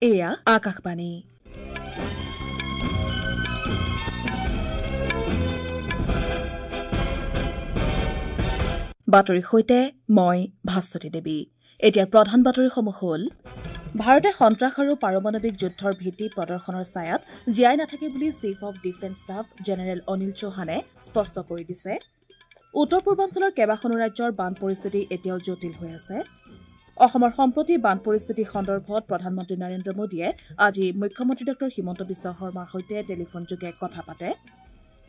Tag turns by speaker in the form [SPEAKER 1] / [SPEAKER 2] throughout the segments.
[SPEAKER 1] এয়া আকাশবাণী। বাতৰিৰ সৈতে মই ভাস্বতী দেৱী। এতিয়াৰ প্ৰধান বাতৰিসমূহ হ'ল: ভাৰতে সন্ত্ৰাস আৰু পাৰমাণৱিক যুদ্ধৰ ভীতি প্ৰদৰ্শনৰ ছায়াত জীয়াই নাথাকে বুলি chief of defence staff general Anil চৌহানে স্পষ্ট কৰি দিছে। উত্তৰ পূৰ্বাঞ্চলৰ কেইবাখনো ৰাজ্যৰ বান পৰিস্থিতি এতিয়াও জটিল হৈ আছে। অসমৰ সম্প্ৰতি বান পৰিস্থিতি সন্দৰ্ভত প্ৰধানমন্ত্ৰী নৰেন্দ্ৰ মোদীয়ে আজি মুখ্যমন্ত্ৰী ডঃ হিমন্ত বিশ্ব শৰ্মাৰ সৈতে টেলিফোনযোগে কথা পাতে।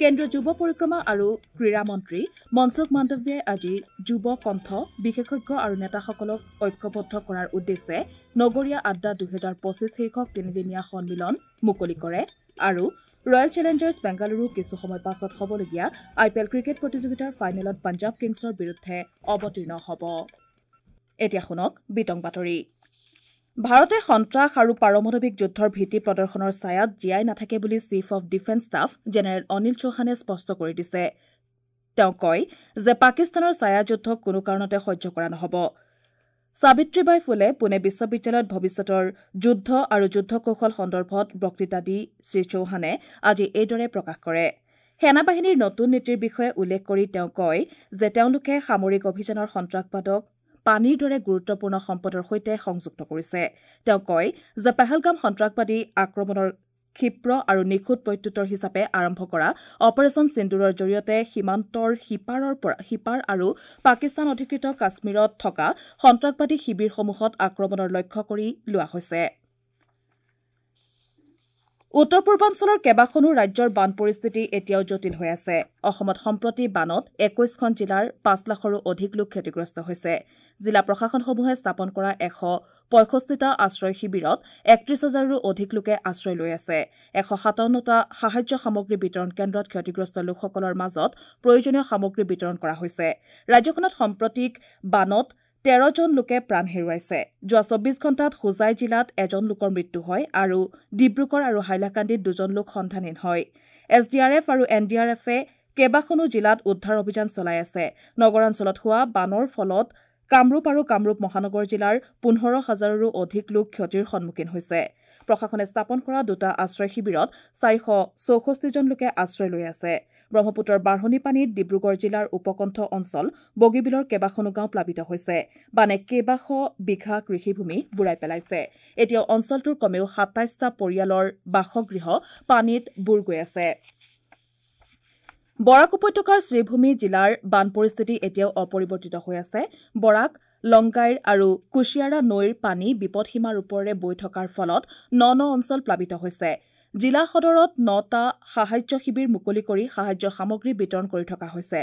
[SPEAKER 1] কেন্দ্ৰীয় যুৱ পৰিক্ৰমা আৰু ক্ৰীড়া মন্ত্ৰী মনসুখ মাণ্ডৱিয়াই আজি যুৱ কণ্ঠ, বিশেষজ্ঞ আৰু নেতাসকলক ঐক্যবদ্ধ কৰাৰ উদ্দেশ্যে নগৰীয়া আড্ডা 2025 শীৰ্ষক তিনিদিনীয়া সন্মিলন মুকলি কৰে। আৰু ৰয়েল চেলেঞ্জাৰ্ছ বেংগালুৰু কিছু সময় পাছত হ'বলগীয়া আই পি এল ক্ৰিকেট প্ৰতিযোগিতাৰ ফাইনেলত পঞ্জাৱ কিংছৰ বিৰুদ্ধে অৱতীৰ্ণ হ'ব। এতিয়া শুনক বিতং বাতৰি। ভাৰতে সন্ত্ৰাস আৰু পাৰমাণৱিক যুদ্ধৰ ভীতি প্ৰদৰ্শনৰ ছায়াত জীয়াই নাথাকে বুলি chief of defence staff general Anil চৌহানে স্পষ্ট কৰি দিছে। তেওঁ কয় যে পাকিস্তানৰ ছায়াযুদ্ধক কোনো কাৰণতে সহ্য কৰা নহ'ব। সাবিত্ৰীবাই ফুলে পুনে বিশ্ববিদ্যালয়ত ভৱিষ্যতৰ যুদ্ধ আৰু যুদ্ধ কৌশল সন্দৰ্ভত বক্তৃতা দি শ্ৰীচৌহানে আজি এইদৰে প্ৰকাশ কৰে। সেনাবাহিনীৰ নতুন নীতিৰ বিষয়ে উল্লেখ কৰি তেওঁ কয় যে তেওঁলোকে সামৰিক অভিযানৰ সন্ত্ৰাসবাদক পানীৰ দৰে গুৰুত্বপূৰ্ণ সম্পদৰ সৈতে সংযুক্ত কৰিছে। তেওঁ কয় যে পেহেলগাম সন্ত্ৰাসবাদী আক্ৰমণৰ ক্ষীপ্ৰ আৰু নিখুঁত প্ৰত্যুত্তৰ হিচাপে আৰম্ভ কৰা অপাৰেচন সিন্দুৰৰ জৰিয়তে সীমান্তৰ সিপাৰ আৰু পাকিস্তান অধিকৃত কাশ্মীৰত থকা সন্ত্ৰাসবাদী শিবিৰসমূহত আক্ৰমণৰ লক্ষ্য কৰি লোৱা হৈছে। উত্তৰ পূৰ্বাঞ্চলৰ কেইবাখনো ৰাজ্যৰ বান পৰিস্থিতি এতিয়াও জটিল হৈ আছে। অসমত সম্প্ৰতি বানত 21খন জিলাৰ 5 লাখৰো অধিক লোক ক্ষতিগ্ৰস্ত হৈছে। জিলা প্ৰশাসনসমূহে স্থাপন কৰা 165টা আশ্ৰয় শিবিৰত 31 হাজাৰৰো অধিক লোকে আশ্ৰয় লৈ আছে। 157টা সাহায্য সামগ্ৰী বিতৰণ কেন্দ্ৰত ক্ষতিগ্ৰস্ত লোকসকলৰ মাজত প্ৰয়োজনীয় সামগ্ৰী বিতৰণ কৰা হৈছে। ৰাজ্যখনত সাম্প্ৰতিক বানত 13জন লোকে প্ৰাণ হেৰুৱাইছে। যোৱা 24 ঘণ্টাত হোজাই জিলাত এজন লোকৰ মৃত্যু হয় আৰু ডিব্ৰুগড় আৰু হাইলাকান্দিত 2জন লোক সন্ধানহীন হয়। এছ ডি আৰ এফ আৰু এন ডি আৰ এফে কেইবাখনো জিলাত উদ্ধাৰ অভিযান চলাই আছে। নগৰাঞ্চলত হোৱা বানৰ ফলত কামৰূপ আৰু কামৰূপ মহানগৰ জিলাৰ 15 হাজাৰৰো অধিক লোক ক্ষতিৰ সন্মুখীন হৈছে। প্ৰশাসনে স্থাপন কৰা দুটা আশ্ৰয় শিবিৰত 464 জন লোকে আশ্ৰয় লৈ আছে। ব্ৰহ্মপুত্ৰৰ বাঢ়নী পানীত ডিব্ৰুগড় জিলাৰ উপকণ্ঠ অঞ্চল বগীবিলৰ কেইবাখনো গাঁও প্লাবিত হৈছে। বানে কেইবাশ বিঘা কৃষিভূমি বুৰাই পেলাইছে। এতিয়াও অঞ্চলটোৰ কমেও 27টা পৰিয়ালৰ বাসগৃহ পানীত বুৰ গৈ আছে। বৰাক উপত্যকাৰ শ্ৰীভূমি জিলাৰ বান পৰিস্থিতি এতিয়াও অপৰিৱৰ্তিত হৈ আছে। বৰাক, লংগাইৰ আৰু কুশিয়াৰা নৈৰ পানী বিপদসীমাৰ ওপৰেৰে বৈ থকাৰ ফলত ন ন অঞ্চল প্লাবিত হৈছে। জিলা সদৰত 9টা সাহায্য শিবিৰ মুকলি কৰি সাহায্য সামগ্ৰী বিতৰণ কৰি থকা হৈছে।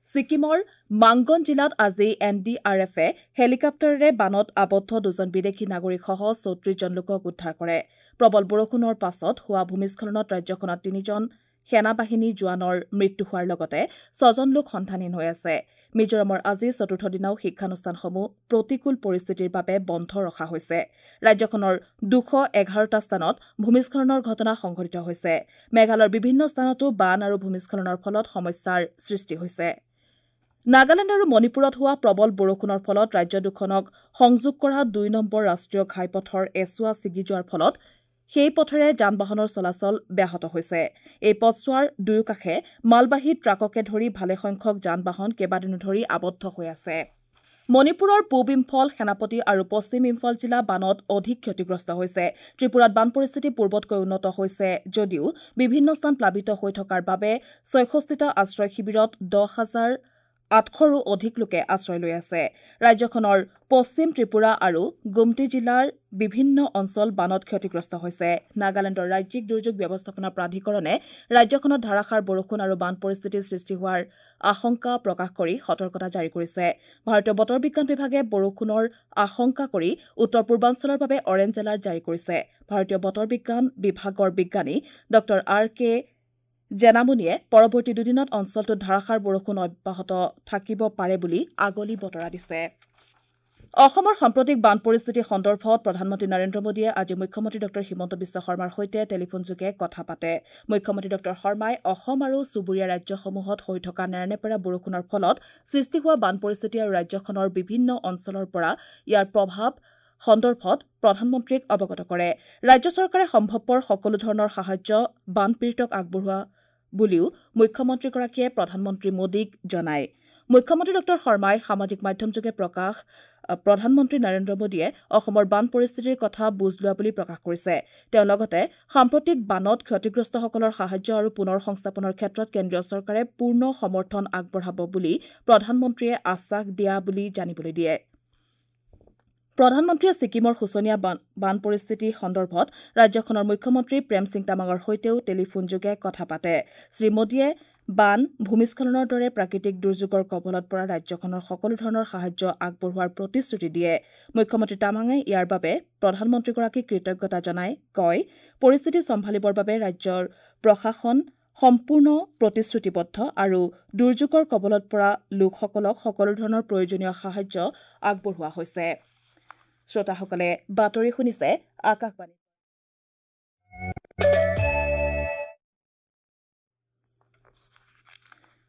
[SPEAKER 1] ছিকিমৰ মাংগন জিলাত আজি এন ডি আৰ এফে হেলিকপ্টাৰেৰে বানত আবদ্ধ 2জন বিদেশী নাগৰিকসহ 34 জন লোকক উদ্ধাৰ কৰে। প্ৰবল বৰষুণৰ পাছত হোৱা ভূমিস্খলনত ৰাজ্যখনত 3জন সেনাবাহিনী জোৱানৰ মৃত্যু হোৱাৰ লগতে 6জন লোক সন্ধানহীন হৈ আছে। মিজোৰামৰ আজি চতুৰ্থ দিনাও শিক্ষানুষ্ঠানসমূহ প্ৰতিকূল পৰিস্থিতিৰ বাবে বন্ধ ৰখা হৈছে। ৰাজ্যখনৰ 211টা স্থানত ভূমিস্খলনৰ ঘটনা সংঘটিত হৈছে। মেঘালয়ৰ বিভিন্ন স্থানতো বান আৰু ভূমিস্খলনৰ ফলত সমস্যাৰ সৃষ্টি হৈছে। নাগালেণ্ড আৰু মণিপুৰত হোৱা প্ৰবল বৰষুণৰ ফলত ৰাজ্য দুখনক সংযোগ কৰা 2 নম্বৰ ৰাষ্ট্ৰীয় ঘাইপথৰ এছোৱা ছিগি যোৱাৰ ফলত সেই পথেৰে যান বাহনৰ চলাচল ব্যাহত হৈছে। এই পথছোৱাৰ দুয়োকাষে মালবাহী ট্ৰাককে ধৰি ভালেসংখ্যক যান বাহন কেইবাদিনো ধৰি আবদ্ধ হৈ আছে। মণিপুৰৰ পূব ইম্ফল, সেনাপতি আৰু পশ্চিম ইম্ফল জিলা বানত অধিক ক্ষতিগ্ৰস্ত হৈছে। ত্ৰিপুৰাত বান পৰিস্থিতি পূৰ্বতকৈ উন্নত হৈছে যদিও বিভিন্ন স্থান প্লাবিত হৈ থকাৰ বাবে 66টা আশ্ৰয় শিবিৰত 10,800ৰো অধিক লোকে আশ্ৰয় লৈ আছে। ৰাজ্যখনৰ পশ্চিম ত্ৰিপুৰা আৰু গুমটি জিলাৰ বিভিন্ন অঞ্চল বানত ক্ষতিগ্ৰস্ত হৈছে। নাগালেণ্ডৰ ৰাজ্যিক দুৰ্যোগ ব্যৱস্থাপনা প্ৰাধিকৰণে ৰাজ্যখনত ধাৰাসাৰ বৰষুণ আৰু বান পৰিস্থিতিৰ সৃষ্টি হোৱাৰ আশংকা প্ৰকাশ কৰি সতৰ্কতা জাৰি কৰিছে। ভাৰতীয় বতৰ বিজ্ঞান বিভাগে বৰষুণৰ আশংকা কৰি উত্তৰ পূৰ্বাঞ্চলৰ বাবে অৰেঞ্জ এলাৰ্ট জাৰি কৰিছে। ভাৰতীয় বতৰ বিজ্ঞান বিভাগৰ বিজ্ঞানী ডঃ আৰ কে জেনামুনিয়ে পৰৱৰ্তী দুদিনত অঞ্চলটোত ধাৰাসাৰ বৰষুণ অব্যাহত থাকিব পাৰে বুলি আগলি বতৰা দিছে। অসমৰ সাম্প্ৰতিক বান পৰিস্থিতি সন্দৰ্ভত প্ৰধানমন্ত্ৰী নৰেন্দ্ৰ মোদীয়ে আজি মুখ্যমন্ত্ৰী ডঃ হিমন্ত বিশ্ব শৰ্মাৰ সৈতে টেলিফোনযোগে কথা পাতে। মুখ্যমন্ত্ৰী ডঃ শৰ্মাই অসম আৰু চুবুৰীয়া ৰাজ্যসমূহত হৈ থকা নেৰানেপেৰা বৰষুণৰ ফলত সৃষ্টি হোৱা বান পৰিস্থিতি আৰু ৰাজ্যখনৰ বিভিন্ন অঞ্চলৰ পৰা ইয়াৰ প্ৰভাৱ সন্দৰ্ভত প্ৰধানমন্ত্ৰীক অৱগত কৰে। ৰাজ্য চৰকাৰে সম্ভৱপৰ সকলো ধৰণৰ সাহায্য বানপীড়িতক আগবঢ়োৱা বুলিও মুখ্যমন্ত্ৰীগৰাকীয়ে প্ৰধানমন্ত্ৰী মোদীক জনায়। মুখ্যমন্ত্ৰী ডঃ শৰ্মাই সামাজিক মাধ্যমযোগে প্ৰকাশ প্ৰধানমন্ত্ৰী নৰেন্দ্ৰ মোদীয়ে অসমৰ বান পৰিস্থিতিৰ কথা বুজ লোৱা বুলি প্ৰকাশ কৰিছে। তেওঁ লগতে সাম্প্ৰতিক বানত ক্ষতিগ্ৰস্তসকলৰ সাহায্য আৰু পুনৰ সংস্থাপনৰ ক্ষেত্ৰত কেন্দ্ৰীয় চৰকাৰে পূৰ্ণ সমৰ্থন আগবঢ়াব বুলি প্ৰধানমন্ত্ৰীয়ে আশ্বাস দিয়া বুলি জানিবলৈ দিয়ে। প্ৰধানমন্ত্ৰীয়ে ছিকিমৰ শোচনীয় বান পৰিস্থিতি সন্দৰ্ভত ৰাজ্যখনৰ মুখ্যমন্ত্ৰী প্ৰেম সিং তামাঙৰ সৈতেও টেলিফোনযোগে কথা পাতে। শ্ৰী মোদীয়ে বান, ভূমিস্খলনৰ দৰে প্ৰাকৃতিক দুৰ্যোগৰ কবলত পৰা ৰাজ্যখনৰ সকলো ধৰণৰ সাহায্য আগবঢ়োৱাৰ প্ৰতিশ্ৰুতি দিয়ে। মুখ্যমন্ত্ৰী তামাঙে ইয়াৰ বাবে প্ৰধানমন্ত্ৰীগৰাকীক কৃতজ্ঞতা জনাই কয়, পৰিস্থিতি চম্ভালিবৰ বাবে ৰাজ্যৰ প্ৰশাসন সম্পূৰ্ণ প্ৰতিশ্ৰুতিবদ্ধ আৰু দুৰ্যোগৰ কবলত পৰা লোকসকলক সকলো ধৰণৰ প্ৰয়োজনীয় সাহায্য আগবঢ়োৱা হৈছে। শ্ৰোতাসকলে বাতৰি শুনিছে আকাশবাণী।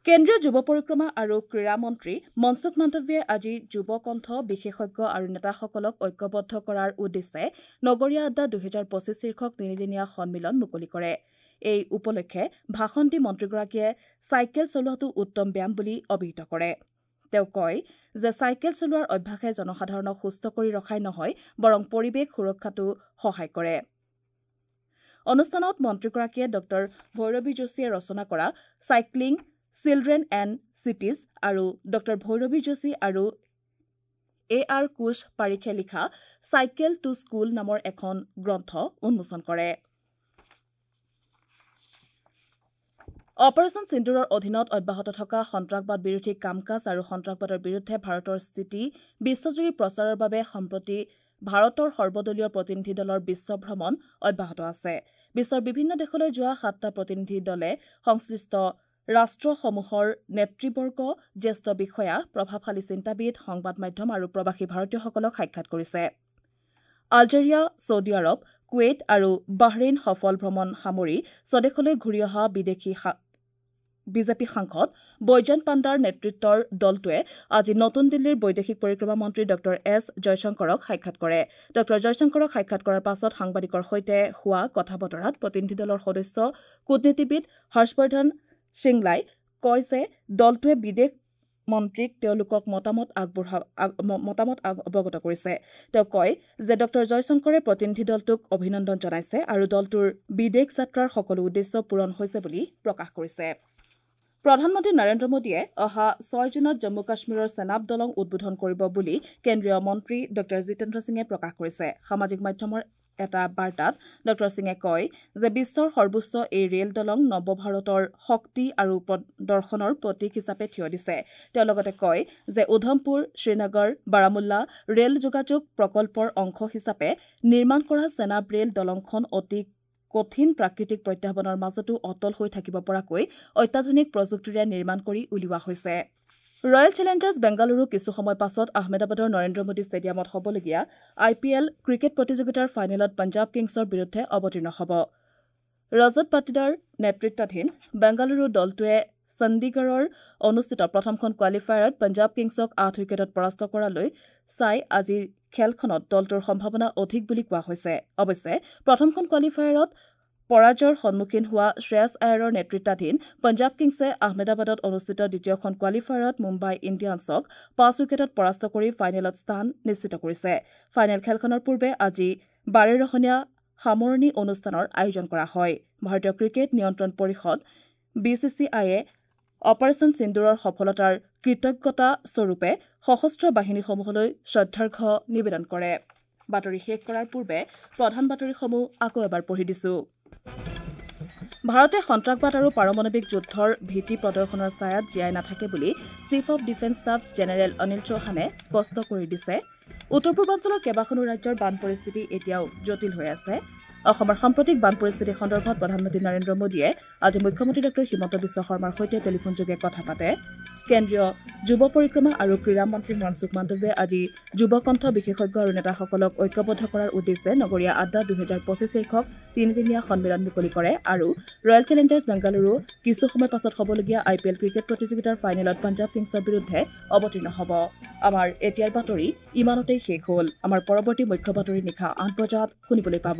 [SPEAKER 1] কেন্দ্ৰীয় যুৱ পৰিক্ৰমা আৰু ক্ৰীড়া মন্ত্ৰী মনসুখ মাণ্ডৱিয়াই আজি যুৱ কণ্ঠ বিশেষজ্ঞ আৰু নেতাসকলক ঐক্যবদ্ধ কৰাৰ উদ্দেশ্যে নগৰীয়া আড্ডা 2025 শীৰ্ষক তিনিদিনীয়া সন্মিলন মুকলি কৰে। এই উপলক্ষে ভাষণ দি মন্ত্ৰীগৰাকীয়ে চাইকেল চলোৱাটো উত্তম ব্যায়াম বুলি অভিহিত কৰে। তেওঁ কয় যে চাইকেল চলোৱাৰ অভ্যাসে জনসাধাৰণক সুস্থ কৰি ৰখাই নহয়, বৰং পৰিৱেশ সুৰক্ষাতো সহায় কৰে। অনুষ্ঠানত মন্ত্ৰীগৰাকীয়ে ডঃ ভৈৰৱী যোশীয়ে ৰচনা কৰা চাইক্লিং চিলড্ৰেন এণ্ড চিটিজ আৰু ডঃ ভৈৰৱী যোশী আৰু এ আৰ কোচ পাৰিখে লিখা চাইকেল টু স্কুল নামৰ এখন গ্ৰন্থ উন্মোচন কৰে। অপাৰেচন সিন্দুৰৰ অধীনত অব্যাহত থকা সন্ত্ৰাসবাদ বিৰোধী কাম কাজ আৰু সন্ত্ৰাসবাদৰ বিৰুদ্ধে ভাৰতৰ স্থিতি বিশ্বজুৰি প্ৰচাৰৰ বাবে সম্প্ৰতি ভাৰতৰ সৰ্বদলীয় প্ৰতিনিধি দলৰ বিশ্ব ভ্ৰমণ অব্যাহত আছে। বিশ্বৰ বিভিন্ন দেশলৈ যোৱা 7টা প্ৰতিনিধি দলে সংশ্লিষ্ট ৰাষ্ট্ৰসমূহৰ নেতৃবৰ্গ, জ্যেষ্ঠ বিষয়া, প্ৰভাৱশালী চিন্তাবিদ, সংবাদ মাধ্যম আৰু প্ৰৱাসী ভাৰতীয়সকলক সাক্ষাৎ কৰিছে। আলজেৰিয়া, ছৌদি আৰৱ, কুৱেইট আৰু বাহৰেইন সফল ভ্ৰমণ সামৰি স্বদেশলৈ ঘূৰি অহা বিদেশী বিজেপি সাংসদ বৈজয়ন্ত পাণ্ডাৰ নেতৃত্বৰ দলটোৱে আজি নতুন দিল্লীৰ বৈদেশিক পৰিক্ৰমা মন্ত্ৰী ডঃ এছ জয়শংকৰক সাক্ষাৎ কৰে। ডঃ জয়শংকৰক সাক্ষাৎ কৰাৰ পাছত সাংবাদিকৰ সৈতে হোৱা কথা বতৰাত প্ৰতিনিধি দলৰ সদস্য কূটনীতিবিদ হৰ্ষবৰ্ধন সিংলাই কয় যে দলটোৱে বিদেশ মন্ত্ৰীক তেওঁলোকক মতামত অৱগত কৰিছে। তেওঁ কয় যে ডঃ জয়শংকৰে প্ৰতিনিধি দলটোক অভিনন্দন জনাইছে আৰু দলটোৰ বিদেশ যাত্ৰাৰ সকলো উদ্দেশ্য পূৰণ হৈছে বুলি প্ৰকাশ কৰিছে। প্ৰধানমন্ত্ৰী নৰেন্দ্ৰ মোদীয়ে অহা 6 জুনত জম্মু কাশ্মীৰৰ চেনাব দলং উদ্বোধন কৰিব বুলি কেন্দ্ৰীয় মন্ত্ৰী ডঃ জিতেন্দ্ৰ সিঙে প্ৰকাশ কৰিছে। সামাজিক মাধ্যমৰ এটা বাৰ্তাত ডঃ সিঙে কয় যে বিশ্বৰ সৰ্বোচ্চ এই ৰেল দলং নৱ ভাৰতৰ শক্তি আৰু দৰ্শনৰ প্ৰতীক হিচাপে থিয় দিছে। তেওঁ লগতে কয় যে উধমপুৰ, শ্ৰীনগৰ, বাৰামুল্লা ৰেল যোগাযোগ প্ৰকল্পৰ অংশ হিচাপে নিৰ্মাণ কৰা চেনাব ৰেল দলংখন অতি কঠিন প্ৰাকৃতিক প্ৰত্যাহ্বানৰ মাজতো অটল হৈ থাকিব পৰাকৈ অত্যাধুনিক প্ৰযুক্তিৰে নিৰ্মাণ কৰি উলিওৱা হৈছে। ৰয়েল চেলেঞ্জাৰ্ছ বেংগালুৰু কিছু সময় পাছত আহমেদাবাদৰ নৰেন্দ্ৰ মোদী ষ্টেডিয়ামত হ'বলগীয়া আই পি এল ক্ৰিকেট প্ৰতিযোগিতাৰ ফাইনেলত পঞ্জাৱ কিংছৰ বিৰুদ্ধে অৱতীৰ্ণ হ'ব। ৰজত পাটিদাৰ নেতৃত্বাধীন বেংগালুৰু দলটোৱে চণ্ডীগড়ৰ অনুষ্ঠিত প্ৰথমখন কোৱালিফায়াৰত পঞ্জাৱ কিংছক ৮ উইকেটত পৰাস্ত কৰালৈ চাই আজিৰ খেলখনত দলটোৰ সম্ভাৱনা অধিক বুলি কোৱা হৈছে। অৱশ্যে প্ৰথমখন কোৱালিফায়াৰত পৰাজয়ৰ সন্মুখীন হোৱা শ্ৰেয়াছ আয়াৰৰ নেতৃত্বাধীন পঞ্জাৱ কিংছে আহমেদাবাদত অনুষ্ঠিত দ্বিতীয়খন কোৱালিফায়াৰত মুম্বাই ইণ্ডিয়ানছক ৫ উইকেটত পৰাস্ত কৰি ফাইনেলত স্থান নিশ্চিত কৰিছে। ফাইনেল খেলখনৰ পূৰ্বে আজি বাৰেৰহণীয়া সামৰণি অনুষ্ঠানৰ আয়োজন কৰা হয়। ভাৰতীয় ক্ৰিকেট নিয়ন্ত্ৰণ পৰিষদ বি চি চি আইয়ে অপাৰেচন সিন্দুৰৰ সফলতাৰ কৃতজ্ঞতা স্বৰূপে সশস্ত্ৰ বাহিনীসমূহলৈ শ্ৰদ্ধাৰ্ঘ্য নিবেদন কৰে। বাতৰি শেষ কৰাৰ পূৰ্বে প্ৰধান বাতৰিসমূহ আকৌ এবাৰ পঢ়ি দিছো। ভাৰতে সন্ত্ৰাসবাদ আৰু পাৰমাণৱিক যুদ্ধৰ ভীতি প্ৰদৰ্শনৰ ছায়াত জীয়াই নাথাকে বুলি chief of defence staff general Anil চৌহানে স্পষ্ট কৰি দিছে। উত্তৰ পূৰ্বাঞ্চলৰ কেইবাখনো ৰাজ্যৰ বান পৰিস্থিতি এতিয়াও জটিল হৈ আছে। অসমৰ সাম্প্ৰতিক বান পৰিস্থিতি সন্দৰ্ভত প্ৰধানমন্ত্ৰী নৰেন্দ্ৰ মোদীয়ে আজি মুখ্যমন্ত্ৰী ডঃ হিমন্ত বিশ্ব শৰ্মাৰ সৈতে টেলিফোনযোগে কথা পাতে। কেন্দ্ৰীয় যুৱ পৰিক্ৰমা আৰু ক্ৰীড়া মন্ত্ৰী মনসুখ মাণ্ডৱিয়াই আজি যুৱ কণ্ঠ বিশেষজ্ঞ আৰু নেতাসকলক ঐক্যবদ্ধ কৰাৰ উদ্দেশ্যে নগৰীয়া আড্ডা 2025 শীৰ্ষক তিনিদিনীয়া সন্মিলন মুকলি কৰে। আৰু ৰয়েল চেলেঞ্জাৰ্ছ বেংগালুৰু কিছু সময় পাছত হ'বলগীয়া আই পি এল ক্ৰিকেট প্ৰতিযোগিতাৰ ফাইনেলত পঞ্জাৱ কিংছৰ বিৰুদ্ধে অৱতীৰ্ণ হ'ব। আমাৰ এতিয়াৰ বাতৰি ইমানতেই শেষ হ'ল। আমাৰ পৰৱৰ্তী মুখ্য বাতৰি নিশা 8 বজাত শুনিবলৈ পাব।